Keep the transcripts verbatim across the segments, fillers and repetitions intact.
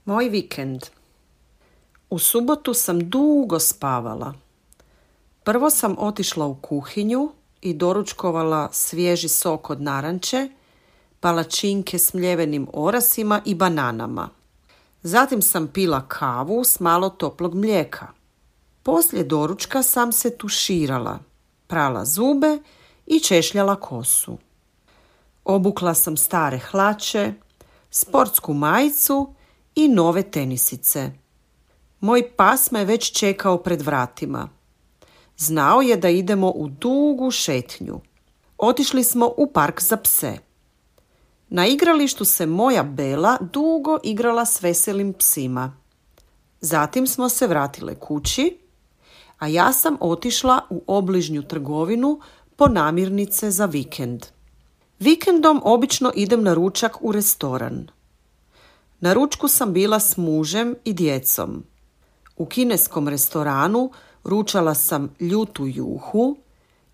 Moj vikend. U subotu sam dugo spavala. Prvo sam otišla u kuhinju i doručkovala svježi sok od naranče, palačinke s mljevenim orasima i bananama. Zatim sam pila kavu s malo toplog mlijeka. Poslije doručka sam se tuširala, prala zube i češljala kosu. Obukla sam stare hlače, sportsku majicu i nove tenisice. Moj pas me već čekao pred vratima. Znao je da idemo u dugu šetnju. Otišli smo u park za pse. Na igralištu se moja Bela dugo igrala s veselim psima. Zatim smo se vratile kući, a ja sam otišla u obližnju trgovinu po namirnice za vikend. Vikendom obično idem na ručak u restoran. Na ručku sam bila s mužem i djecom. U kineskom restoranu ručala sam ljutu juhu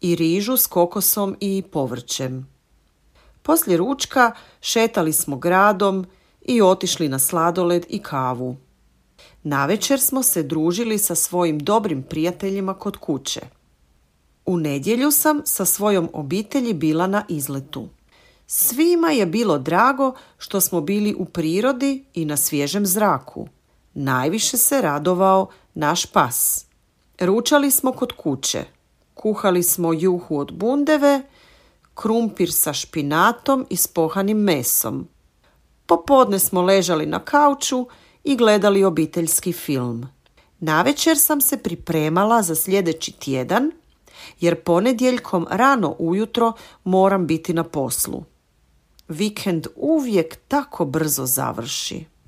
i rižu s kokosom i povrćem. Poslije ručka šetali smo gradom i otišli na sladoled i kavu. Navečer smo se družili sa svojim dobrim prijateljima kod kuće. U nedjelju sam sa svojom obitelji bila na izletu. Svima je bilo drago što smo bili u prirodi i na svježem zraku. Najviše se radovao naš pas. Ručali smo kod kuće. Kuhali smo juhu od bundeve, krumpir sa špinatom i s pohanim mesom. Popodne smo ležali na kauču i gledali obiteljski film. Navečer sam se pripremala za sljedeći tjedan, jer ponedjeljkom rano ujutro moram biti na poslu. Vikend uvijek tako brzo završi.